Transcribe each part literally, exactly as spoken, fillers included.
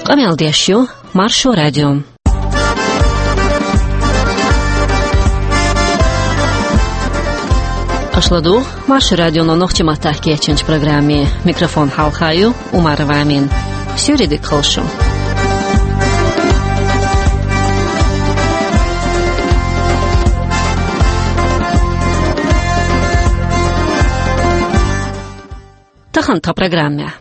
Къамел деш ю Маршо радио. Аша ладугӀу Маршо радионо нохчийн маттахь кечйинчу программе. Микрофон хьалха ю Умарова Амина. Суьйре дика хуьлда шун. Тахана тхан программехь.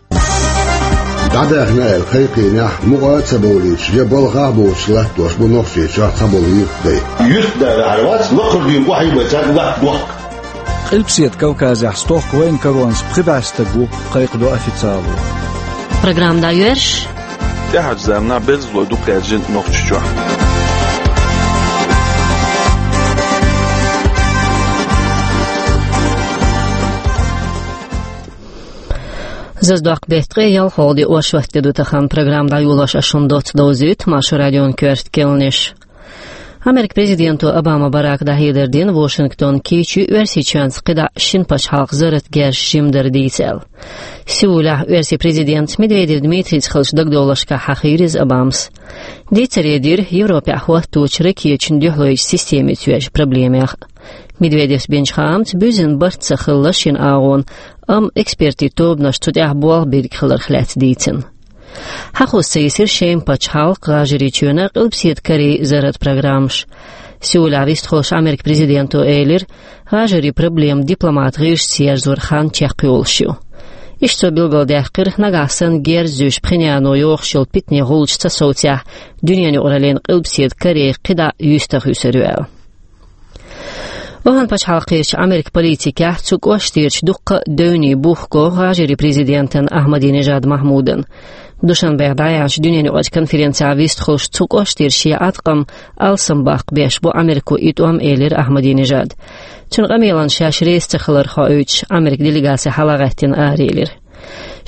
ДӀадаьхна аьлла кхайкхийнехь, мукъа а ца бовлуьйтуш, я балхахь а боцуш латтош бу Нохчийчохь цхьаболу юьртдай. Юьртда ваьхьар вац, лакхара дуьйна къахьийбай цаьрга латта дохк. Къилбаседа Кавказехь стохка вайна каронца пхи бӀе стаг ву, кхайкхадо официало. Программа дӀайоьрзуш. ТӀаьхьарчу заманахь берзалой дукха яьржина Нохчийчохь. Зазадоккху беттан ткъе ялхалгӀа де, оршот де ду тахана. Программа дӀайолош ас шуна доцца довзуьйту Маршо радион коьрта керланаш. Америкин президенто Обама Барака дӀахьедар дина, Вашингтон кийча ю Оьрсийчоьнца кхидӀа шина пачхьалкхан зарратан герзаш жимма дар дийца аьлла. Сеулехь оьрсийн президентца Медведев Дмитрийца хиллачу дагадовларшкахь хьахийра иза Обамас. Дийцаре дира Европехь хӀотточу ракеташна дуьхьалойчу системица йоьзначу проблемех. Медведевс бинчу хаамца, буьззина барт ца хилла шина агӀонан, амма экспертийн тобанаш цу тӀехь болх бийриг хиларх лаьцна дийцина. Хьахоз ца йисира Шеман пачхьалкх, ГӀажарийчоьнан, Къилбаседа Корей зарратан программаш. Сеулехь вистхуьлуш Америкин президенто элира, гӀажарийн проблема дипломатан гӀирсаца ерзоран хан чекхйолуш ю. Иштта цо билгалдаьккхира, нагахь санна герз зуьйш Пхеньяно йохуш йолу питане гӀулчаш ца совцахь, дуьненан юкъараллина Къилбаседа Корей кхидӀа юьстах юьсур ю аьлла. ОвхӀан пачхьалкхерчу Америкин политикехь цу кӀоштарчу дуккха а девнийн бух го ГӀажарийн президентан Ахьмадинежад Махьмудан. Душанбехь дӀаяьхьначу дуьненан юкъарчу конференцехь вистхуьлуш, цу кӀоштара шен Ӏаткъам алсамбаккха беш бу Америко и тӀом, элира Ахьмадинежада. Цуьнан къамелан шаьш реза ца хилар хоуьйтуш, Америкин делегаци хьалагӀаьттина араелира.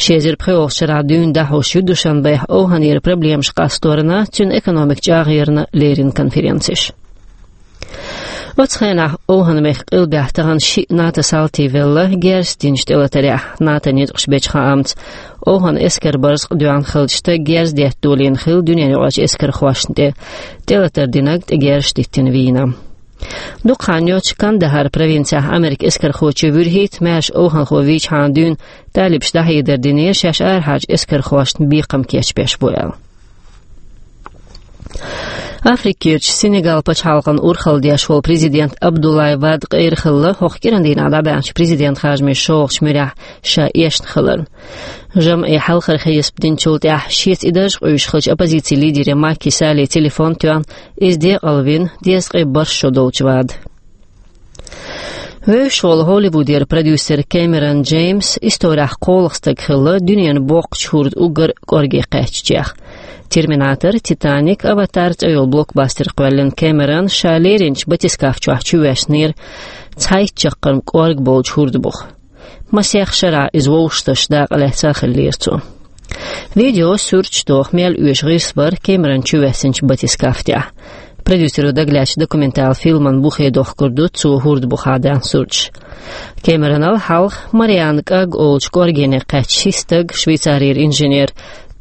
Ши эзар пхоьалгӀачу шарахь дуьйна дӀахьош ю Душанбехь ОвхӀанера проблемаш къасторна, цуьнан экономикан чӀагӀъярна леррина конференцеш. Оцу хенахь ОвхӀан-мехкан къилбехь тахана шиъ НАТО салтий велла, герз динчу тӀелатарехь. НАТОн ницкъаша бечу хаамца, ОвхӀан эскаран барзакъ доьхна хиллачу стага герз детта долийна хилла дуьненан юкъарчу эскархошна тӀе, тӀелатар динарг тӀе герзаш диттина вийна. Дукха хан йоццуш Кандахар провинцехь Америкин эскархочо вуьрхӀитта маьрша овхӀанхо вийчхьана дуьйна талибаша дӀахьедар динера, шаьш арахьарчу эскархошна бекхам кечбеш бу аьлла. Африкерчу Сенегал пачхьалкхана урхалла деш волу президент Абдуллай Вад къера хилла, хӀокху кӀиран дийнахь дӀабаьхначу президентан харжамийн шолгӀачу муьрехь ша эшна хиларна. ЖамӀе хьалхара хьесап динчул тӀаьхьа шеца и дарж къуьйсуш хиллачу оппозицин лидере Маки Салле телефон тоьхна, иза декъалвина дезткъе бархӀ шо долчу Вада. Вевзаш волу Голливудера продюсер Кэмерон Джеймс исторехь кхоалгӀа стаг хилла дуьненан боккхачу хӀордан уггар кӀорге кхаьчначех. «Терминатор», «Титаник», «Аватар» цӀе йолу блокбастер кхоьллина Кэмерона ша леринчу батискаф чохь чувоьссинера цхьайтта чаккхарма кӀорга болчу хӀордан буха. Масех шарахь иза вовшахташ дакъа лаьцна а хиллера цо. Видео, суьрташ тоху мел оьшу гӀирс бара Кэмерон чувоьссинчу батискаф тӀехь. Продюсеро дагалаьцначу документалан фильман бухе дохкур ду цо хӀордан бухахь даьхна суьрташ. Кэмеронал хьалха Мариана КӀаг олучу кӀоргене кхаьчна ши стаг: Швейцарера инженер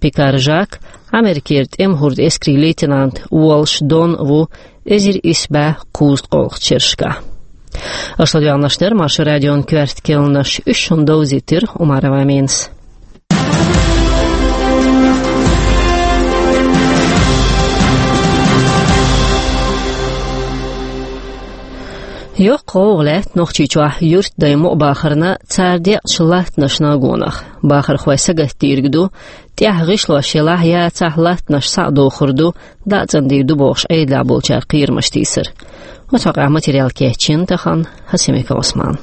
Пикар Жак, Америкера тӀеман хӀордан эскарийн лейтенант Уолш Дон ву, эзар исс бӀе кхузткъолгӀачу шерашкахь. Аша ладоьгӀнарш дара Маршо радион коьрта керланаш, уьш шуна довзийтира Умарова Аминас. Йоккха гӀовгӀа лаьтта Нохчийчохь юьртдай мукъабахарна, цара декъначу латтанашна а гонах. Бахархой сагатдийриг ду, тӀехь гӀишлош елахь а яцахь а, латтанаш схьа а дохур ду, дӀа а цӀандийр ду бохуш, Ӏедалехь болчара кхерамаш тийсар. Оцу хьокъехь материал кечйина тахана Хасимиков Ӏусмана.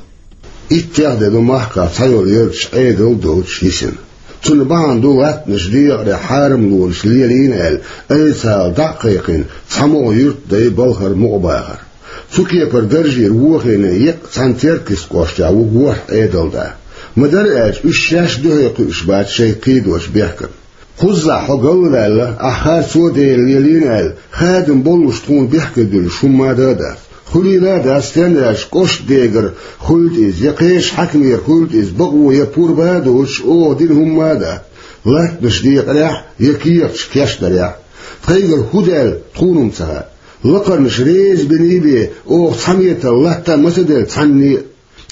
Иттех де ду махкахь цхьайолу ярташ Ӏедал а доцуш йисина. Цунна бахьана ду латтанаш декъаре хьарамлонаш лелийна аьлла, айцхьала дӀа а кхайкхийна, цхьамогӀа юьртдай балхара мукъабахар. Цу кепара даржера вохийна еккъа цхьана Теркйист кӀоштехь ву ворхӀ Ӏедалда. Ма-дарра аьлча, уьш шаьш дуьхьал кхуьуш бац шайн кхийдочу бехкана. Кхузахь хьо галваьлла, ахь харцо а, Дела лелийна аьлла, хадам боллуш тхуна бехке дуьллуш хӀумма а дац. Хуьлийла а дац, стенна аьлча кӀоштан дегара хуьлда иза, я кхечу хьаькамера хуьлда иза, бакъо я пурба а доцуш, оха дина хӀумма а дац. Латтанаш декъарехь я кехаташ кечдарехь. Тхайгара хӀун даьлла тхуна-м ца хаьа. Лакхарнаш реза бина бен, оха цхьаммо а латта а ма ца делла цхьанне а.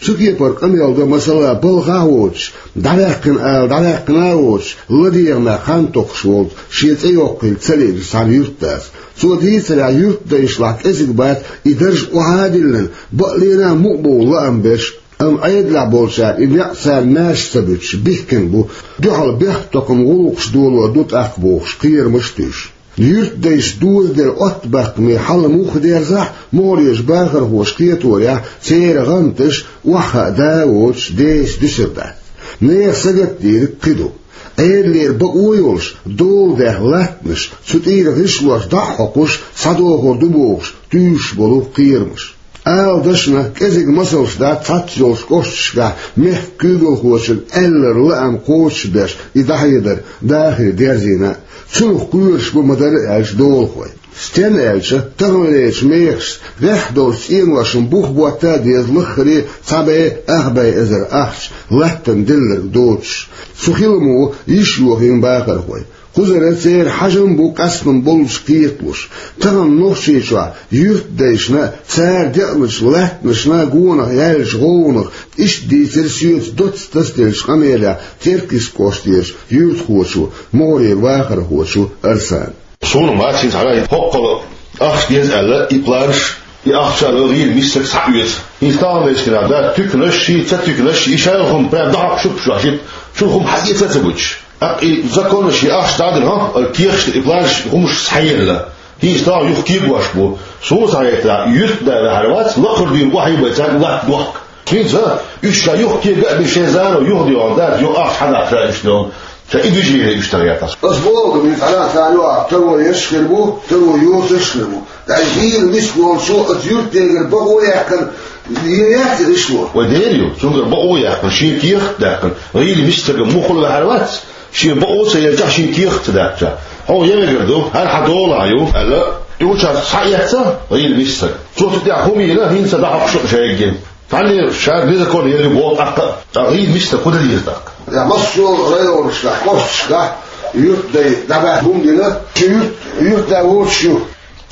Цу кепара къамел до, масала, балхахь а воцуш, дӀаваьккхина ала дӀаваьккхина а воцуш, ладегӀамехь хан токхуш волчу, шен цӀе йоккхийла ца лиъначу цхьана юьртдас. Цо дийцарехь, юьртдайшлахь кӀезиг бац и дарж охьа а диллина, бакъ лена а мукъа бовла лаам берш. Амма Ӏедалехь болчара и некъ царна маьрша ца буьтуш бихкина бу, дуьхьал бехктокхаман гӀуллакхаш долор ду тӀаккха бохуш, кхерамаш а туьйсуш. Юьртдайша дозаделла оттабаккхаме хьал муха дерзахь а, могӀарерчу бахархоша кхеторехь, церан гӀанташ охьахаа да а воцуш, деса дуьсур дац. Нехан сагатдийриг кхин ду. Ӏедалера бакъо а йолуш, дола даьхна латтанаш, цу тӀера гӀишлош дӀа а хьокхуш, схьадохур ду бохуш, туьйсуш болу кхерамаш. Ала дашна, кӀезиг масалш дац цхьацца йолчу кӀошташкахь мехкан куьйгалхочун аьлларан лаам кхочушбеш и дӀахьедар дахар дерзийна а. Цунах кхоьруш бу ма-дарра аьлча долахой. Стенна аьлча, таханлерчу мехашца, гӀеххьа долчу цӀеношна бух ботта а деза лаххара а цхьа бӀе, ах бӀе эзар ахча, латтана делларг доцуш. Цу хиламо йиш йохийна бахархой. Кхузара церан хьажам бу къастам боллуш кхеталуш. Тахана Нохчийчохь юьртдайшна а, цара деъначу латтанашна а гонах яьллачу гӀовгӀанах, иштта дийцира соьца доцца тасаделлачу къамелехь Теркйист кӀоштерчу юьртахочо, могӀарера вахархочо Арсана. Суна ма хӀинца хьара хӀокхула ахча деза аьлла, и планаш, и ахча а гӀийла миссарг схьаоьцу. ХӀинца таханлерчу дийнахь да туьканаш, ца туьканаш, и шайла хӀума прям дӀахьокхуш ю-кх шуьга, шуьга хӀума хьаэца а ца гуьтуш. ТӀаккха и законаш, и ахча дӀадина, хӀа, кехаташ, и планаш, хӀуманаш схьаелла. ХӀинца тахана юха кегош бу. Суна схьахетарехь, юьртда ваьхьар вац, лакхара дуьйна охьайбай цаьрга латта дохка. ХӀинца уьш ша юха кега а бина, шайн зама юха дегӀан дац, юха ахча хьадаккха ша уьш дегӀан. Ша и движение уьш тахетарехь. Ас боху, мин хьалха царна юкъахь таро еш хир бу, таро йоцуш хир бу. ТӀаккха гӀийла миска волчо оцу юьртдегара бакъо а яьккхина, е яц и гӀишло? Вай дера ю, цуьнгара бакъо а яьккхина, шен кехат а даьккхина, гӀийла миска стаг муххал ваьхьар вац, шен бакъо а ца елчахь, шен кехат а ца даьккхичахь. Хьо я мегар ду, хӀара хьан долахь ю, аьлла, и гучуьнца схьаэцна гӀийла миска стаг. Цо цу тӀехь хӀума йина, хӀинца дӀахьокхуш ю-кх шайггина. Цхьанне ша незаконно елла боху тӀаккха, ткъа гӀийла миска стаг хӀун дан деза тӀаккха? Я массо а районашкахь, кӀошташкахь юьртдай дӀабаьхьа хӀума дина, ши юьрт, юьртда воцуш ю.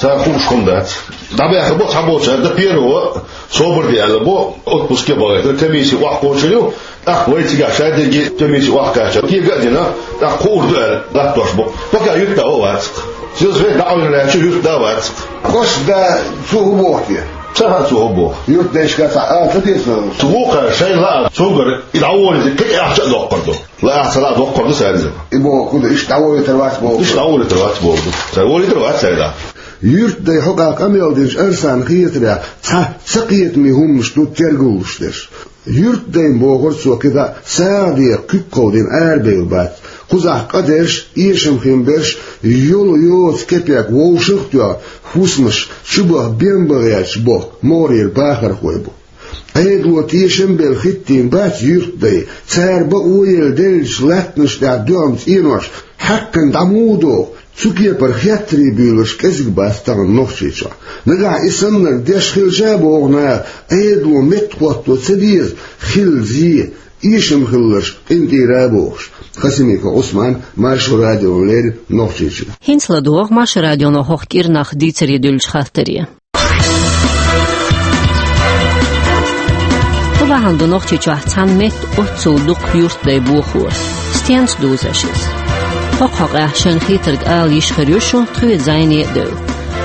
Цара хууш хӀума дац. ДӀабаьхьа бо цхьаболчара, дан первого собар де аьлла бо, отпуске бахийтина, комисси охьакхочур ю, тӀаккха вай цигахь шадерриге комисси охьакхаьчча, кега а дина, тӀаккха кхуур ду аьлла, латтош бу. Пока юьртда а вац-кх. Сельсовет дӀакъевлина лаьтташ юьртда а вац-кх. Кхош да цо хӀун боху те? Ца хаьа цо хӀун боху. Юьртдайшка цхьа ала ца деза? Цу вукхара шайна лаахь, цуьнгара и дӀаволийта кхин а ахча а доккхур ду. Лаахь ца лаахь доккхур ду цаьрца. И боху хӀун ду, иштта дӀаволийтар вац боху. Иштта дӀаволийтар вац боху ду. Цара волийтар вац цаьрца. Юьртдай хьокъехь къамел динчу Арсана хетарехь, цхьа ца кхетаме хӀуманаш ду тергаллуш дерш. Юьртдайна, бохура цо, кхидӀа а сагӀа декъа куьг кховдийна арабевлла бац. Кхузахь къа дерш, эшам хин берш, йолу йоцу кепек вовшах а тоьхна, хӀусамаш чубаха бен бан гӀерташ боху могӀарера бахархой бу. Ӏедало тешам а белла хӀиттийна бац юьртдай, цара бакъо а елла деллачу латтанаш тӀехь дуьхьал цӀенош хьаькхна дӀа муха доху, цу кепара хеттарий буьйлуш кӀезиг бац тахана Нохчийчохь. Нагахь и саннарг деш хилча а, боху наха, Ӏедало меттахӀотто ца деза, хилла зе, эшам хилларш къинтӀера а бохуш. Хасимиков Ӏусман, Маршо радиона леррина, Нохчийчуьра. ХӀинца ладогӀа Маршо радионо хӀокху кӀирнах дийцаре дуьллучу хаттаре. ХӀун бахьана ду Нохчийчохь цхьана метта оццул дукха юьртдай бохоран? Стенца дузуш иза? ХӀокху хьокъехь шайна хетарг ала йиш хир ю шун, тхоьца зӀене а девлла.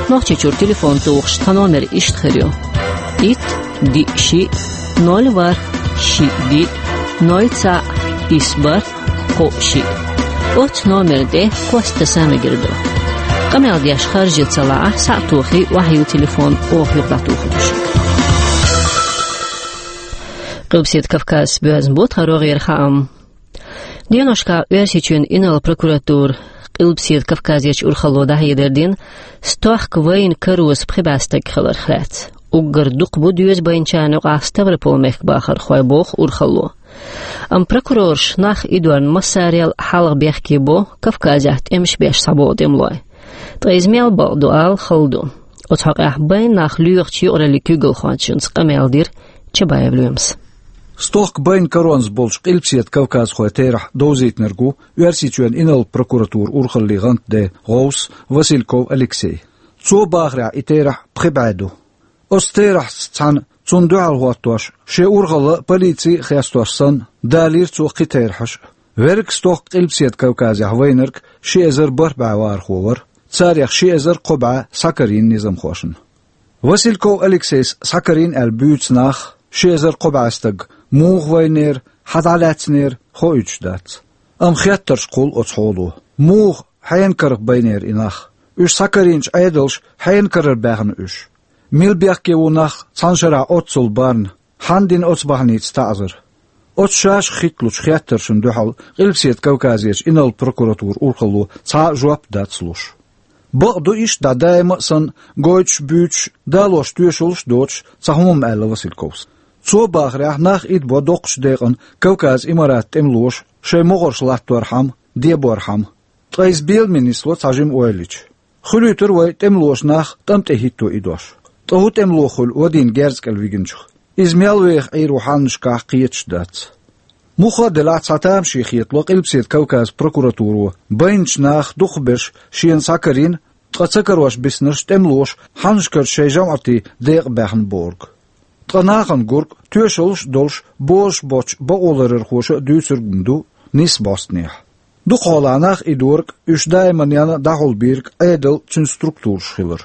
Нохчийчуьра телефон тухуш тхан номер иштта хир ю: итт, диъ, шиъ, ноль, ворхӀ, шиъ, диъ, ноль, цхьаъ, исс, бархӀ, кхоъ, шиъ. Оццу номерна тӀе кхоссадаса мегар ду. Къамел деш харжа ца лаахь, схьа а тохий, охьайилла телефон, оха юха дӀатухур ду шуьга. Къилбаседа Кавказца боьзна бу тхан рогӀера хаам. Деношкахь Оьрсийчоьнан инарла прокуратура Къилбаседа Кавказерчу урхалло дӀахьедар дина стохка вайна кароза пхи бӀе стаг хиларх лаьцна. Уггар дукха бу доьза байначарна юкъахь Ставрополь мехкан бахархой, боху урхалло. Амма прокурорша нах идорна массарел а хьалха бехке бо Кавказехь тӀемаш беш схьаболу тӀемалой. Ткъа иза мел бакъ ду ала хала ду. Оцу хьокъехь байна нах лоьхучу юкъараллин куьйгалхочунца къамел дира Чабаев Лоьмас. Стохка байна каронца болчу Къилбаседа Кавказхойн терахь довзийтинарг ву Оьрсийчоьнан инарла прокуратуран урхаллин гӀантден гӀовс Васильков Алексей. Цо бахарехь, и терахь пхи бӀе ду. Оцу терахьца цхьаьна цунна дуьхьал хӀоттош, шен урхалла а, полици а хестош санна, далийра цо кхин терахьаш а. Верриг стохка Къилбаседа Кавказехь вайнарг ши эзар бархӀ бӀе вахархо вара, царех ши эзар кхо бӀе схьакарийна низамхошна. Васильков Алексейс схьакарийна аьлла буьйцу нах, ши эзар кхо бӀе стаг, муха вайнера, хьан дӀалаьцнера, хоуьйтуш дац. Амма хеттарш кхуллу оцу хьоло. Муха, хьенан карах байнера и нах? Уьш схьакарийначу Ӏедалша хьенан карара баьхна уьш? Мила бехке ву нах цхьана шарахь оццул барна? Хьанна дина оцу бахьаница таӀзар? Оцу шаьш хӀитталучу хеттаршна дуьхьал Къилбаседа Кавказерчу инарла прокуратуран урхалло цхьа а жоп дац луш. Бакъ ду, иштта дӀа даима а санна, гойтуш, буьйцуш, далош тоьшаллаш а доцуш, цхьа хӀума аьлла Васильковс. Цо бахарехь, нах идабо доккхачу декъана Кавказан Имаратан тӀемалоша шайн могӀарш латторхьама, деборхьама. Ткъа иза беламе нисло цхьа жима ойла йича. Хуьлуьйтура вай тӀемалоша нах тӀам тӀе хӀитто идош. Ткъа хӀун тӀемало хуьлу вадийна герз кӀел вигначух? Иза мел веха Ӏийр ву хьаннашкахь, кхеташ дац. Муха а делахь, цхьа тамаше хетало Къилбаседа Кавказан прокуратуро байначу наха дукхахберш шена схьакарийна, ткъа ца карош биснарш тӀемалоша хьаннашкарчу шайн жамӀатийн декъа баьхна бохург. Ткъа нахана гург, тоьшаллаш а долуш, бозуш боцчу бакъоларъярхоша а дуьйцург ма ду, нийса бӀостанехьа. Дукхахьолахь нах идорг, уьш даиманна дӀахьулбийриг Ӏедал, цуьнан структураш хилар.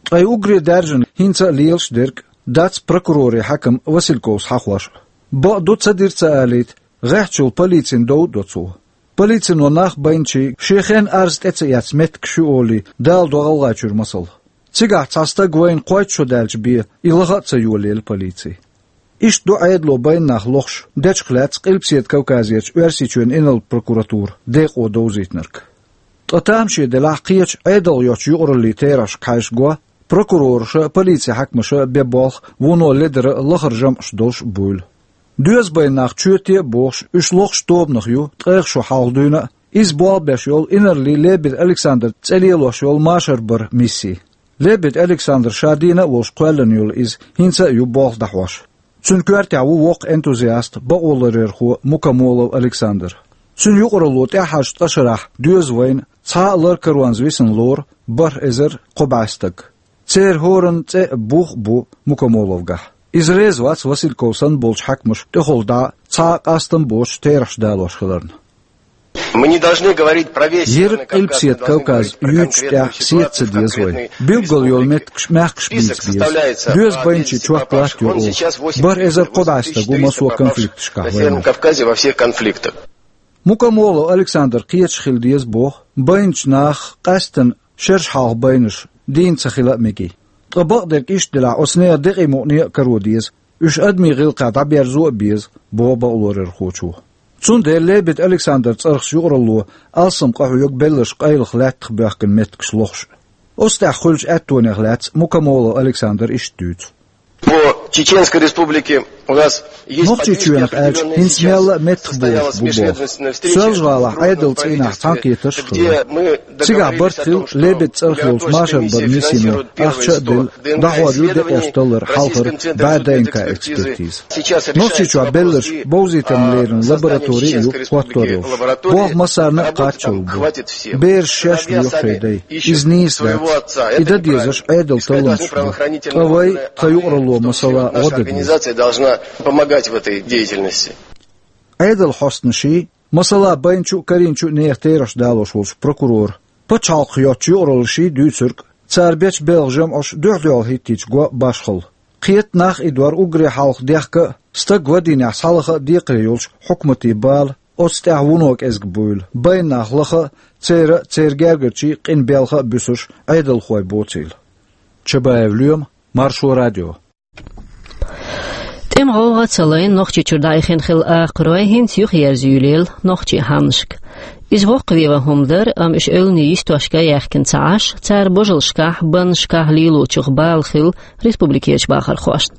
Ткъа и уггаре даьржина, хӀинца а лелаш дерг дац прокуроран хьаькам Васильковс хьахош а. Бакъ ду, ца дира ца алийта, гӀеххьачул полицина дов а до цо. Полицино нах байначийн шен хенахь арз тӀе ца эцна меттигаш ю олий, даладо ГӀалгӀайчуьра масал. Цигахь цхьа стаг вайна кхойтта шо даьлча бен, и лаха а ца йолаелла полици. Иштта ду Ӏедало байна нах лохуш, дечух лаьцна Къилбаседа Кавказерчу Оьрсийчоьнан инарла прокуратуран декъо довзийтинарг. Ткъа тамаше делахь, кхечу Ӏедалх йоцчу юкъараллийн терахьашка хьаьжча, прокурораша а, полицин хьаькамаша а бен болх вуно ледара а, лахара жамӀаш долуш а буйла. Доьза байна нах чоьте а бохуш, уьш лохуш тобанах ю, ткъех шо хьалха дуьйна а, иза болх беш йолу инарла Лебедев Александр цӀе лелош йолу машар баран мисси. Лебедев Александр ша дийна а волуш кхоьллина йолу иза, хӀинца а ю болх дӀахьош. Цуьнан коьртехь ву воккха энтузиаст, бакъоларъярхо Мукомолов Александр. Цуьнан юкъаралло тӀаьххьарчу ткъа шарахь доьза вайна цхьа а лар каронца висина лору бархӀ эзар кхо бӀе стаг. Церан хӀоранна цӀе а, бух а бу Мукомоловгахь. Иза реза вац Васильковс санна болчу хьаькамаша тӀехула дӀа цхьа а къастам боцуш терахьаш далош хиларна. Мы не должны говорить про весь Северный Кавказ, мы должны говорить про конкретные ситуации, конкретные список составляется, а, весь Северный Кавказ. Йира Къилбаседа Кавказ юьйцучу тӀехь сетца деза вай. Билггал йолу меттигаш, маьхкаш бийца беза. Доьза байначийн чот латтайо оха. БархӀ эзар кхо бӀе стаг ву массо а конфликташкахь вайнарг. Мукомолов Александр кхеташ хила деза боху, байначу наха къаьсттина шераш хьалха байнарш дийна ца хила а мегий. Ткъа бакъдерг иштта делахь, оцу нехан декъий мукъане а каро деза, уьш адамийн гӀиллакхехь дӀаберзо а беза, боху бакъоларъярхочо. Цундела Лебедев Александран цӀарах юкъаралло алсам къахьоьгу белларш къайлаха лаьттах боьхкина меттигаш лохуш а. Оцу тӀехь хуьлучу аьттонех лаьцна Мукомолов Александр иштта дуьйцу. По Чеченской Республике у нас есть Нохчийчоьнах аьлча, хӀинца мелла а меттахболуш бу боху. Соьлжа-ГӀалахь Ӏедалан цӀийнахь цхьаьнакхетарш а хилла. Цигахь барт хилла Лебедевн цӀарах йолчу машар баран миссино ахча а делла, дӀахьор ю декъеш таллар хьалхара бӀе ДНК-экспертиза. Нохчийчохь белларш бовзийтарна леррина лаборатори а ю хӀоттор йолуш. Болх массарна а кхаччалц бу. Бераш шаьш лоьху шайн дай. Иза нийса дац. И дан дезарш Ӏедалан талламаш ду. Ткъа вай, тхан юкъаралло, масала, гӀо дан деза. Организация должна помогать в этой деятельности. Ӏедалан хьостанаший, масала, байначу а, карийначу а нехан терахьаш далош волчу прокуроран, пачхьалкхах йоцчу юкъараллаший дуьйцург, цара бечу белхан жамӀаш дуьхь-дуьхьал хӀиттийча го башхалла. Кхета нах идор уггаре хьалха дехка а, стаг вадийнехь схьалаха а декхаре йолчу хьукматийн бала, оцу тӀехь вуно кӀезиг буйла, байна нах лаха а, церан а, церан гергарчийн а къинтӀера белха а буьсуш, Ӏедалхой боцийла. Чабаев Лоьма, Маршо радио. ТӀеман гӀовгӀа ца лайна Нохчийчуьра дӀаихина хилла акхарой хӀинца юхаерза юьйлаелла нохчийн хьаннашка. Иза воккхаве ван хӀума дара, амма уьш эвланийн йистошка а яьхкина ца Ӏаш, цара божаллашкахь, баннашкахь лелочух бала хилла республикерчу бахархошна.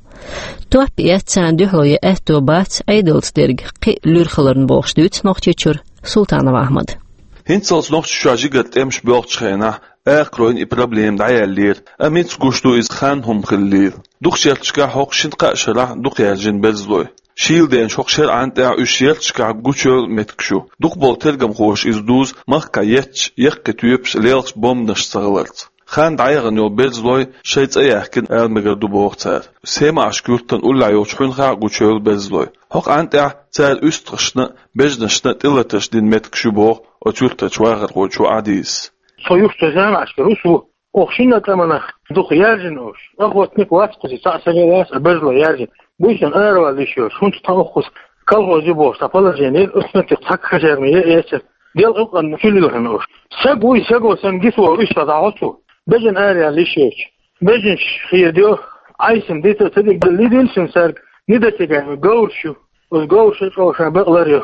Топ эцна, царна дуьхьало ян аьтто бац Ӏедалца дерг кхин а луьра хиларна, бохуш дуьйцу Нохчийчуьра Султанов Ахьмада. ХӀинццалц Нохчийчохь жигара тӀемаш боьлхучу хенахь акхаройн и проблема дӀаяьллера, амма хӀинца гуш ду иза хан хӀума хиллера. Дукхачу керташкахь хӀокху шина-кхаа шарахь дукха яьржина берзалой. Шийла деначу хӀокху шеран тӀехь уьш ярташкахь гучуевлла меттигаш ю. Дукхахболу тергамхоша иза дузу махкахь етташ яккхий тоьпаш лелхаш бомбанаш ца хиларца. Хан дӀаяхана йолу берзалой шайн цӀе яьхкина ала мегар ду боху цара. Семашка юьртан уллехь йолчу хьуьнхахь а гучуевлла берзалой. ХӀокху хан тӀехь цара уьстагӀашна а, бежанашна а тӀелатарш дина меттигаш ю боху оцу юьртарчу вахархочо Ӏадийзас. Со юххе Семашка ву со. Оха шина а тӀаманах дукха яьржина уьш. Охотник вац кхуза, цхьаъ сага вац, а берзалой яьржина. Буьйсанна аравала йиш йоцуш, хӀунда тхан оххуз колхоз ю бохуш, цхьа положение, оцу меттиг цхьа казарма е эцар. Дел къукъанна чу лилхина уьш. Саг вуй, саго санна гиса волу уьш ца дӀахьо цо. Бежана аравала йиш йоцуш. Бежанаш хедайо, Ӏайсина дита а ца дигна, лидийла шуна сарг, недосягаемый говраш ю. Оцу говрашна чӀогӀа шайн бакъ лар ю.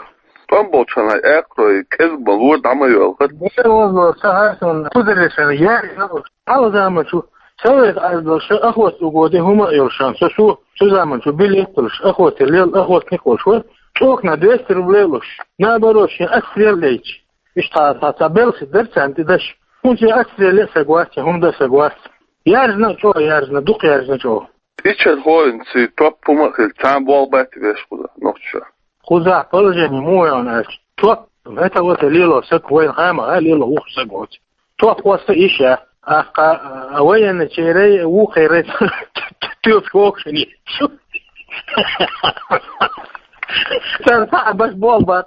ТӀом болчу хенахь акхарой кӀезиг ма-луъара дӀа ма йоьлхура. Дера возло ца хьаьрсина, кхузара шайна яьржина уьш. Хьалха заманчу совет Ӏаьрбелла ша охота угоди хӀума а йолуш сан, со су, цу заманчу билет а хуьлуш, охота лела охотник а волуш вара, цӀокна двести рублей а луш, наоборот, шен отстрел а лейча. Иштта цхьа, цхьа белхи дара царна тӀе даш. ХӀунда шен отстрел а саг вац, хӀума дан а саг вац. Яьржина а чӀогӀа, яьржина, дукха яьржина чӀогӀа. Иччархой, цуьнан топ хӀума а хилла, цхьа а болх бац веш кхузахь нохчаша. Кхузахь положение муха ю аьлча, топ, это вот лело саг вайна хьама, а лело вух саг воцу. Топ хӀоста иш а, ахка, а, военный черей, вукхерей, тоьпаш вокшани. Цара схьа а баш болх бац.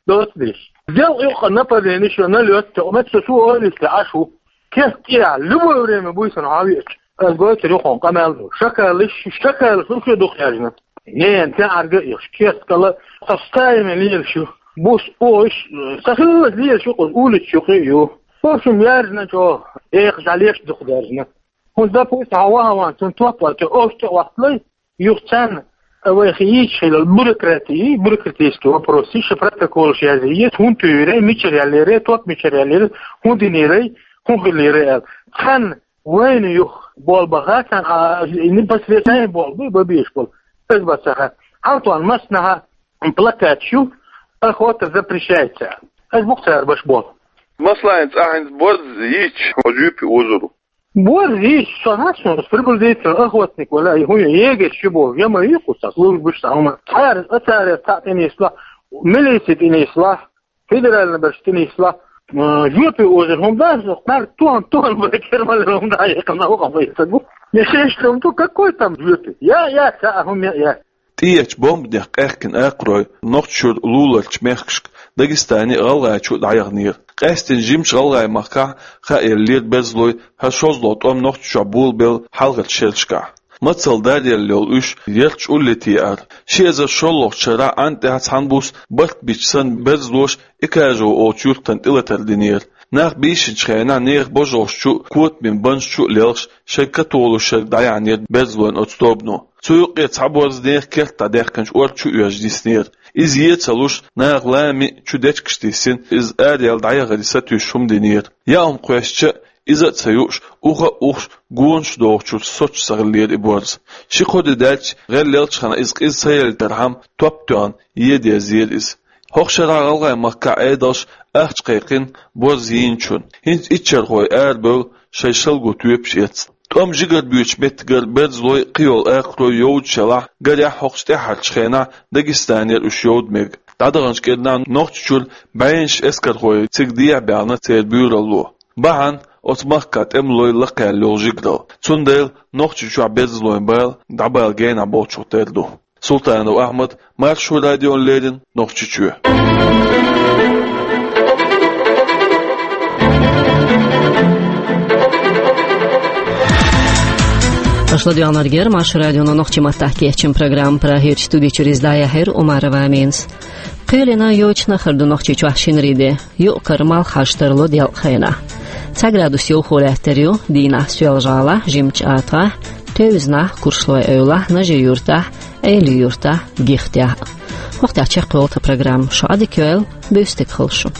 Доцу деш. Дел юкъа нападение шу налёт, мет со су олуьйту Ӏаш ву. Кест тӀехь, любое время буьйсанна хьан веача. Ас гойтур ю хьуна къамел ду. Шакалаш, шакалаш, уьш шу дукха яьржина. Нена, тӀаьхьарга а йохуш, кест кала, со стаиме лелаш ю. Бус, ош, са хиллалц лелаш ю, улича юкъе а ю. Хошум яьржина чӀогӀа, экха жӀалеш дукха даьржина. ХӀунда, допустим, хьан ваха ван, цунна топ а, цу ош тӀе а вахталай, юха царна, а, вайх йийцаш хилла бюрократия, бюрократический вопрос, иштта протоколаш язъе, хӀунда туьйрай, мичара яллерай, топ мичара яллерай, хӀун динерай, хӀун хиллерай аьлла. Цхьанна вайна юха болх баха, царна, а, непосредственно болх бу, бан безаш болу. Иза бац цхьа. Хьал тхуна массанхьа плакаташ ю, охота запрещается. Иза бу-кх цара беш болу. Масала, хӀинца ахь хӀинца борз йийцча, хьо жоьпе озур ву. Борз йийцча, со хьан суна приблизительно охотник вала, и хӀун ю, егерь шу боху, я ма юй кхузахь, службаш цхьа хӀума. Цара, а цара цхьаъ тӀенислахь, милици тӀенислахь, федеральный берш тӀенислахь, м, жоьпе озур хӀума дац, кхара тон, тон бай, кермалера хӀума дӀа а яьккхина, вахана вай ца гу. Не шеш там, то какой там жоьпе? Я, я, цхьа а хӀума я, я. ТӀеэцначу бомбанех къаьхкина акхарой Нохчийчуьра луларчу мехкашка, Дагестане а, ГӀалгӀайчу а дӀаяханера. Къаьсттина жимачу ГӀалгӀай-махкахь хаа еллера берзалой хӀара шозлагӀа тӀом Нохчийчохь болабелла хьалхарчу шерашкахь. Мацалла даръелла йолу уьш ярташ улле теара. Ши эзар шоллагӀчу шарахь Ӏан тӀехь цхьана буса барт бича санна берзалоша Экажево олучу юьртана тӀелатар динера. Нах бийшинчу хенахь нехан божаршна чу а, котамийн банашна чу а лелхаш, шайн католуш шерга дӀаяьхьнера берзалойн оцу тобано. Цу юккъе цхьа борз нехан керта дӀадаьккхинчу орца чу оьжна диснера. Иза е ца луш, наха лами а, чу дечигаш диссина, иза араяьлла дӀаяхаре сатуьйсуш хӀума динера. Яа хӀума кхоьссича а, иза а ца юуш, уха а ухуш, гонаш дохучуьра соцуш ца хиллера и борз. Ши-кхо де даьлча, гӀелъеллачхьана иза къиза ца елийтархьама, топ тоьхна, е дезара иза. ХӀокху шарахь ГӀалгӀай-махкахь Ӏедалша ахча кхайкхина борз йийначунна. ХӀинца иччархой арабевлла шайн шалго тоьпаш эцна. ТӀом жигара буьйцучу меттигара берзалой, кхийолу акхарой йовдаш ялахь, гарехь, хӀокхучу тӀаьххьарчу хенахь Дагестанера уьш йовда мега. ДӀадаханчу кӀирнахь Нохчийчуьра бӀеннаш эскархой цига дехьа баьхна церан буьйралло. Бахьана оцу махкахь тӀемалой лакхаьлла йолу жигаралла. Цундела Нохчийчохь берзалойн бала дӀабала генахь болчух тера ду. Султанов Ахьмад, Маршо радиона леррина, Нохчийчоь. Аша ладоьгӀнарг яра Маршо радион нохчийн маттахь кечйина программа. Прагерчу студи чуьра иза дӀаяьхьира Умарова Аминас. Кхелина йочана хир ду Нохчийчохь шинарин де. Юкъ-кара малх хьажа тарло делкъа хенахь. Цхьа градус йовхо лаьттар ю дийнахь Соьлжа-ГӀалахь, Жимачу АтагӀахь, тевзанахь Куршлой-Эвлахь, Нажи-Юьртахь, Эли-Юьртахь, Гихтехь. ХӀокху тӀехь чекхйолу тхан программа. Шу Ӏадика йойла, буьйса дика хуьлда шун.